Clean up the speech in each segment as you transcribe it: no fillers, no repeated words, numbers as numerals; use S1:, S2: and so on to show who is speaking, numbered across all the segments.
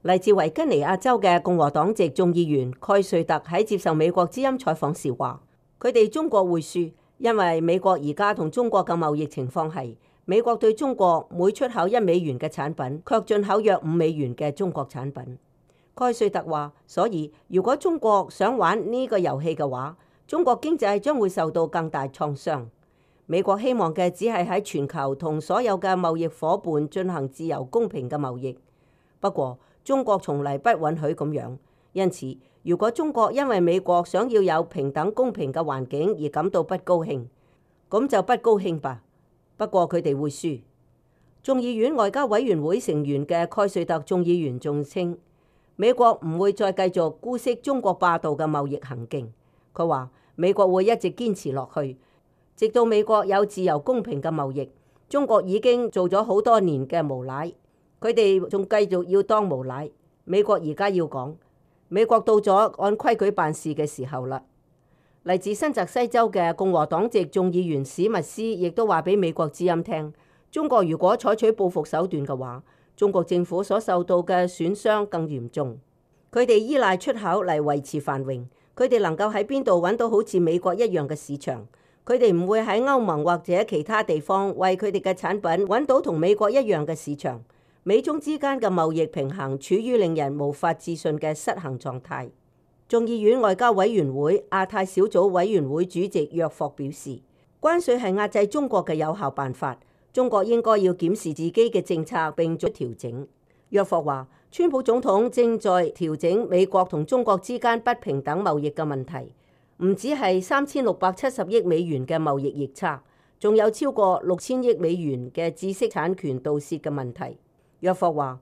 S1: 嚟自維吉尼亞州嘅共和黨籍眾議員蓋瑞特喺接受美國之音採訪時話，佢哋中國會輸，因為美國而家同中國嘅貿易情況係，美國對中國每出口$1嘅產品，卻進口約$5嘅中國產品。蓋瑞特話，所以如果中國想玩呢個遊戲嘅話，中國經濟將會受到更大創傷。美國希望嘅只係喺全球同所有嘅貿易夥伴進行自由公平嘅貿易。不過中國從嚟不允許咁樣，因此如果中國因為美國想要有平等公平嘅環境而感到不高興，咁就不高興吧。不過佢哋會輸。眾議院外交委員會成員嘅蓋瑞特眾議員仲稱，美國唔會再繼續姑息中國霸道嘅貿易行徑。佢話美國會一直堅持落去，直到美國有自由公平嘅貿易。中國已經做咗好多年嘅無賴，佢哋仲繼續要當無賴。美國而家要講，美國到咗按規矩辦事嘅時候啦。嚟自新澤西州嘅共和黨籍眾議員史密斯亦都話俾美國之音聽，中國如果採取報復手段嘅話，中國政府所受到嘅損傷更嚴重。佢哋依賴出口嚟維持繁榮，佢哋能夠喺邊度揾到好似美國一樣嘅市場？佢哋唔會喺歐盟或者其他地方為佢哋嘅產品揾到同美國一樣嘅市場。美中之間嘅貿易平衡處於令人無法置信嘅失衡狀態。眾議院外交委員會亞太小組委員會主席約霍表示，關稅係壓制中國嘅有效辦法。中國應該要檢視自己嘅政策並作調整。約霍話，川普總統正在調整美國同中國之間不平等貿易嘅問題，唔止係$3670億嘅貿易逆差，仲有超過$6000億嘅知識產權盜竊嘅問題。約霍話，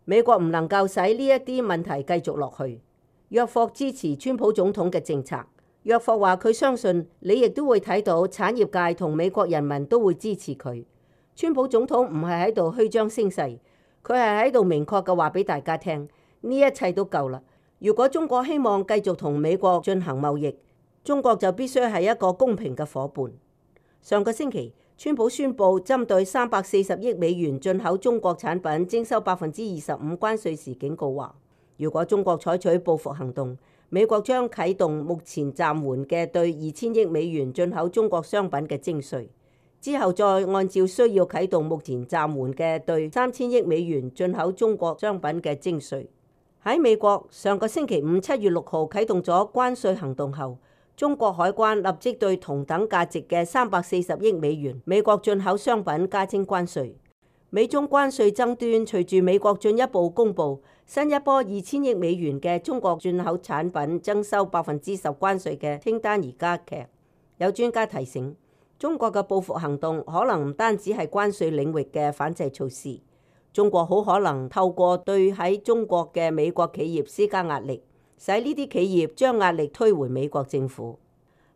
S1: 美國唔能夠使呢一啲問題繼續落去。約霍支持川普總統嘅政策。約霍話，佢相信你亦都會睇到產業界同美國人民都會支持佢。川普總統唔係喺度虛張聲勢，佢係喺度明確嘅話俾大家聽，呢一切都夠啦。如果中國希望繼續同美國進行貿易，中國就必須係一個公平嘅夥伴。上個星期，川普宣布針對$340億進口中國產品徵收25%關稅時警告話，如果中國採取報復行動，美國將啟動目前暫緩嘅對$2000億進口中國商品嘅徵稅。之後再按照需要啟動目前暫緩嘅對$3000億進口中國商品嘅徵稅。喺美國上個星期五7月6號啟動咗關稅行動後，中國海關立即對同等價值嘅$340億美國進口商品加徵關稅。美中關稅爭端隨住美國進一步公布新一波$2000億嘅中國進口產品徵收10%關稅嘅清單而加劇。有專家提醒，中國嘅報復行動可能唔單止係關稅領域嘅反制措施，中國好可能透過對喺中國嘅美國企業施加壓力，使呢啲企業將壓力推回美國政府。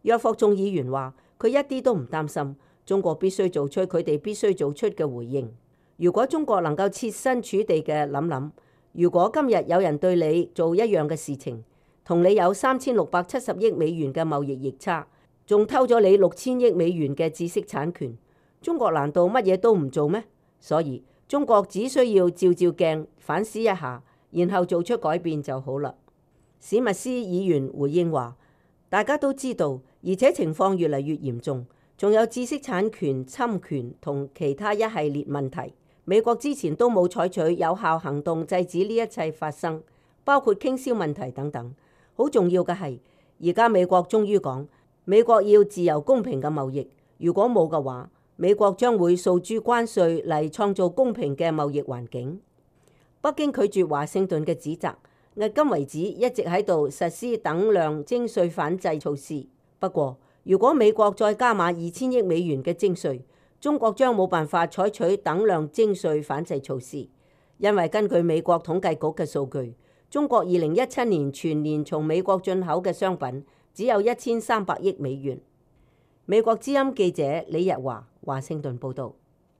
S1: 約霍眾議員話，佢一啲都唔擔心，中國必須做出佢哋必須做出嘅回應。如果中國能夠設身處地嘅諗諗，如果今日有人對你做一樣嘅事情，同你有$3670億嘅貿易逆差，仲偷咗你$6000億嘅知識產權，中國難道乜嘢都唔做咩？所以中國只需要照照鏡反思一下，然後做出改變就好啦。史密斯議員回應話，大家都知道，而且情況越嚟越嚴重，仲有知識產權侵權同其他一系列問題。美國之前都冇採取有效行動制止呢一切發生，包括傾銷問題等等。好重要嘅係，而家美國終於講，美國要自由公平嘅貿易，如果冇嘅話，美國將會訴諸關稅嚟創造公平嘅貿易環境。北京拒絕華盛頓嘅指責，迄今為止一直喺度實施等量徵稅反制措施。不過，如果美國再加碼$2000億嘅徵稅，中國將冇辦法採取等量徵稅反制措施，因為根據美國統計局嘅數據，中國2017年全年從美國進口嘅商品只有$1300億。美國之音記者李日華華盛頓報道。